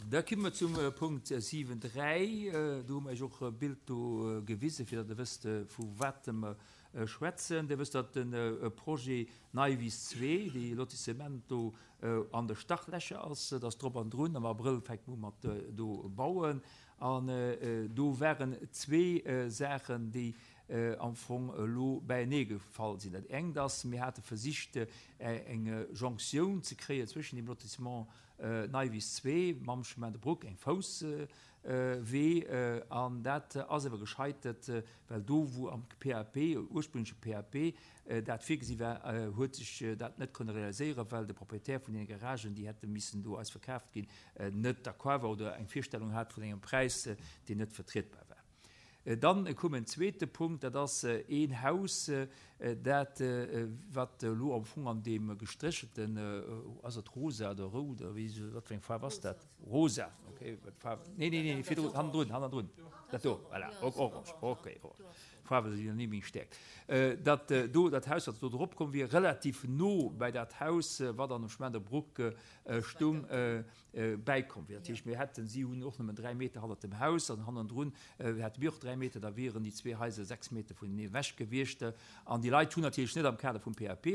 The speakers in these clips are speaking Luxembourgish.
Da komme mer zum Punkt 7, 3. Do hu mer Iech och e Bild do gewisen, fir datt Der wësst, vu wat mer schwätzen. Dir wësst, datt de Projet Neiwiss 2, dee Lotissement do an de Startlächer ass. Et ass drop an drun. Am Abrëll fänkt mer u mat do bauen. An do waren zwee Saachen, déi am Fong elo beienee gefall sinn. Dat engt ass, mir hate versicht, eng Jonktioun ze kréien zwëschen dem Lotissement Neiwiss 2 mam Chemin de Bruck, eng Fousswee, an dat ass awer gescheitert, well do, wou am PAP, ursprüngleche PAP, dat virgesi war, huet sech dat net kënne realiséieren, well de Proprietär vun deene Garagen, déi hätte missen do eis verkaaft ginn, net d'accord war oder eng Virstellung hat vun engem Präis, deen net vertrietbar war. Dann koum en zweete Punkt, dat ass een Haus, dat wat elo am Fong an deem gestréchelten, ass et rosa oder rout oder wéi, wat fir eng Faarf ass dat? Rosa, okay, wat Faarf, nee, nee, nee, virdrun, hannendrun, hannendrun, dat do, voilà, orange, okay, orange, Faarwe sinn jo ni meng Stäerkt. Dat do, dat Haus, wat do drop komm wier, relativ no bäi dat Haus, wat an dem Chemin de Bruck stung, bäikomm wier. Dat heescht, mir hätten, si hunn och nëmmen 3 Meter hannert dem Haus an hannendrun hätte mir och 3 Meter, da wieren déi zwee Haiser 6 Meter vunenee ewech gewiescht. An déi Leit hunn natierlech net am Kader vum PAP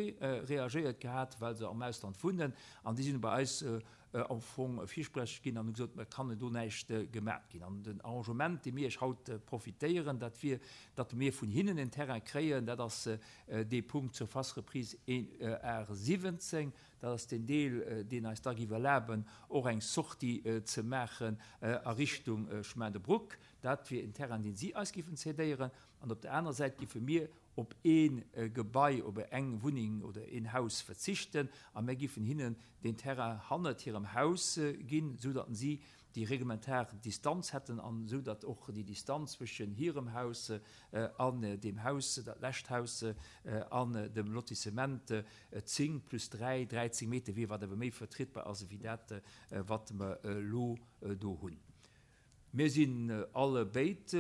reagéiert gehat, well se am Ausland wunnen an déi sinn bei eis am Fong Virsprech ginn an hu gesot, et kann do näischt gemat ginn. An den Arrangement, dee mir iech haut profitéieren, dat wier, datt mir vun hinnen en Terrain kréien, dat ass dee Punkt Surface reprise 1 ar 17, Dat ass deen Deel, deen eis da géif erlaben, och eng Sortie ze maachen a Richtung Chemin de Bruck. Dat wier en Terrain, deen si eis géifen cédéieren. An op der anerer Säit géife mir op ee Gebai, op eng Wunneng oder een Haus verzichten a mir géifen hinnen deen Terrain hannert hirem Haus ginn, esou datt si déi reglementar Distanz hätten an esou datt och déi Distanz zwëschen hirem Haus an deem Haus, dat lescht Haus, an dem Lotissement 10 plus 3, 13 Meter wier, wat awer méi vertrietbar ass ewéi dat, wat mer elo do hunn. Mir sinn alle béid,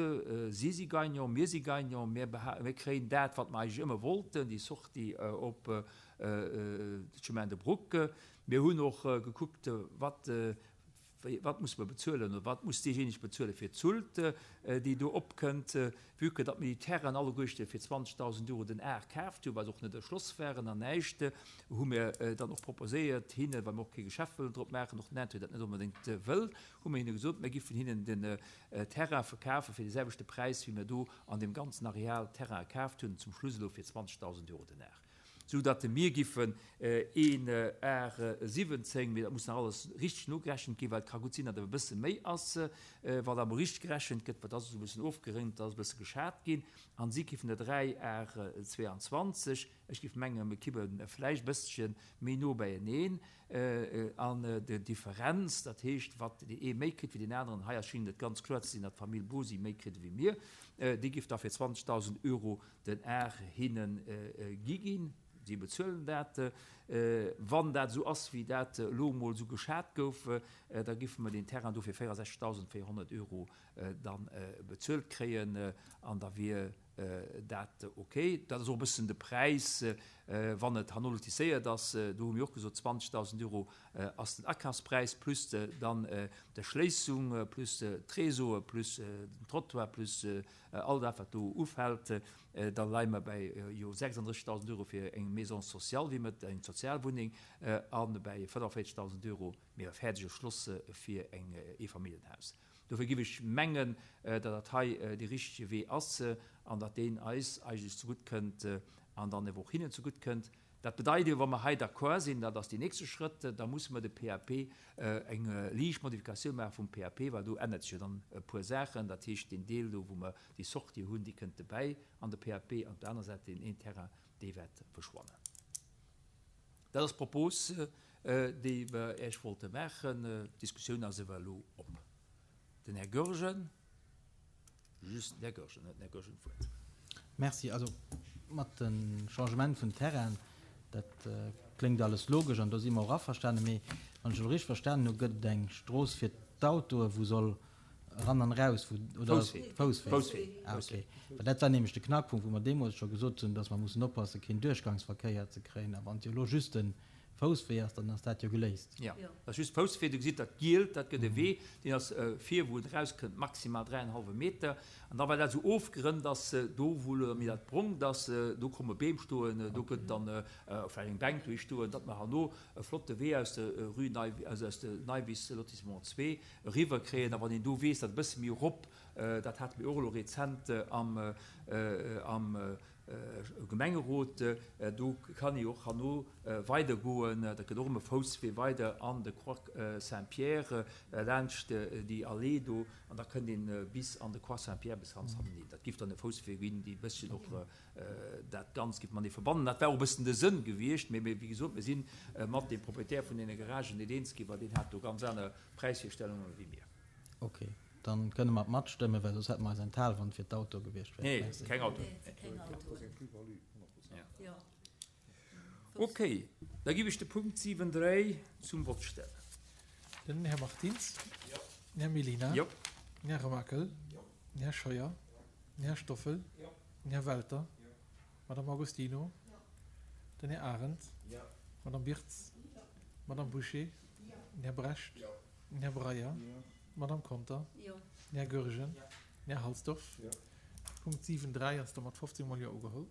si si Gagnant, mir si Gagnant, mir kréien dat, wat mer eigentlech ëmmer wollten, déi Sortie op de Chemin de Bruck. Mir hunn och gekuckt, wat Wat musse mer bezuelen oder wat muss deejéineg bezuele fir d'Sult, déi do opkënnt, vue que datt mir déi Terrainen alleguerchte fir 20.000 Euro den Ar kaaft hunn, well se och net erschloss waren an näischt, hu mir dann och proposéiert hinnen, well mir och kee Geschäft wëllen drop maachen, och den Intérêt dat net onbedéngt wëll, hu mir hinne gesot, mir giffen hinnen den Terrain verkafe fir dee selwechte Präis, wéi mir do an deem ganzen Areal Terraine kaaft hunn, zum Schluss elo fir 20.000 Euro den Ar. Sou datt mir giffen een Ar 17, mee dat muss nach alles richteg nogerechent ginn, well et ka gutt sinn, datt et e bësse méi ass, wann dat emol richteg gerechent gëtt, well dat ass esou e bëssen ofgerënnt, dat ass e bësse geschat ginn, an si giffen der 3 Ar 22, ech giff mengen, mir kippe vläicht e bësselche méi no beieneen, an der Differenz, dat heescht, wat deen ee méi kritt wéi deen aneren, hei ass schéngt et ganz kloer ze sinn, datt d'Famill Bosy méi kritt ewéi mir, déi giff da fir 20.000 Euro den Ar hinne gi ginn. Si bezuelen dat. Wann dat esou ass, wéi dat elo emol esou geschat gouf, da giffe mer deen Terrain do fir 64.400 Euro da bezuelt kréien an da wier dat ok. Dat ass och e bëssen de Präis, wann et herno lotisséiert ass. Do hu mir och gesot, 20.000 Euro ass den Akafspräis plus dann d'Erschléissung plus d'Réseaue plus den Trottoir plus All dat, wat do ufält, da leie mer bäi jo 36.000 Euro fir eng Maison sociale, wéi mer et, eng Sozialwunneng, a bäi 45.000 Euro méi e fäerdege Schloss fir eng Eefamilljenhaus. Dofir géif ech mengen, datt dat hei dee richtege Wee ass an datt deen eis eigentlech zegutt kënnt an dann ewer och hinnen zegutt kënnt. Dat bedeit jo, wa mer hei d'accord sinn, dat ass deen nächste Schrëtt, da musse mer de PAP, eng liicht Modifikatioun maache vum PAP, well do ännert sech jo dann e puer Saachen. Dat heescht, deen Deel do, wou mer déi Sortie hunn, déi kënnt dobäi an de PAP, an op der aner Säit deen een Terrain, dee wäert verschwannen. Dat ass d'Propos, déi mer Iech wollte maachen. D'Diskussioun ass ewell elo op. Den Här Goergen. Just den Här Goergen huet den Här Goergen d'Wuert. Merci. Also mat de Changement vun Terrainen, dat kléngt alles logesch an do si mer och averstanen. Mee wann ech elo richteg verstanen hu, gëtt et eng Strooss fir d'Autoe wou soll eran an eraus, wou, oder? Fousswee. Fousswee. Fousswee. Ah, okay. Well dat war nämlech de Knackpunkt, wou mer deemools scho gesot hunn, datt mer mussen oppassen, keen Duerchgangsverkéier ze kréien. A wann et jo elo just de. Fousswee ass, dann ass dat jo geléist. Jo, dat ass just Fousswee. Do gesitt Der d'Gielt, dat gëtt e Wee, deen ass vir, wou en erauskënnt, maximal dräienhallwe Meter. An da well dat esou ofgerënnt ass, do wou elo méi dat Brongt ass, do komme Beem stoen, do gëtt dann vläicht eng Bänk dohi stoen, datt mer herno e flotte Wee aus der Rue Nei, also aus der Neiwiss, Lotissement 2, eriwwer kréien. A wann een do weess, datt e bësse méi erop, dat hate mir och elo rezent am, am Gemengerot, do kann ee och herno weidergoen, dat gëtt och ëm e Fousswee weider an de Croix Saint-Pierre laanscht déi Allee do an da kënnt een bis an de Croix Saint-Pierre bis ganz hannenhin. Dat giff dann e Fousswee ginn, dee e bësschen och dat Ganzt giff matenee verbannen. Dat war och e bëssen de Sënn gewiescht, mee wéi gesot, mir si mat deem Proprietär vun deene Garagen net eens ginn, well deen hat do ganz aner Präisvirstellungen wéi mir. Okay. Dann kënne mer matstëmmen, well soss hätte mer eis enthal, wann et fir d'Autoe gewiescht wär. Nee, keng Autoen. Okay, da giff ech de Punkt 7, 3 zum Vott stellen. Den Här Martins. Den Här Mellina. Den Här Remakel. Den Här Scheuer. Den Här Stoffel. Den Här Welter. D'Madame Agostino. Den Här Arendt. D'Madame Birtz. D'Madame Bouché. Den Här Brecht. Den Här Breyer. D'Madame Conter. Den Här Goergen. Den Här Halsdorf. Punkt 7, 3 ass da mat 15 mol Jo ugeholl.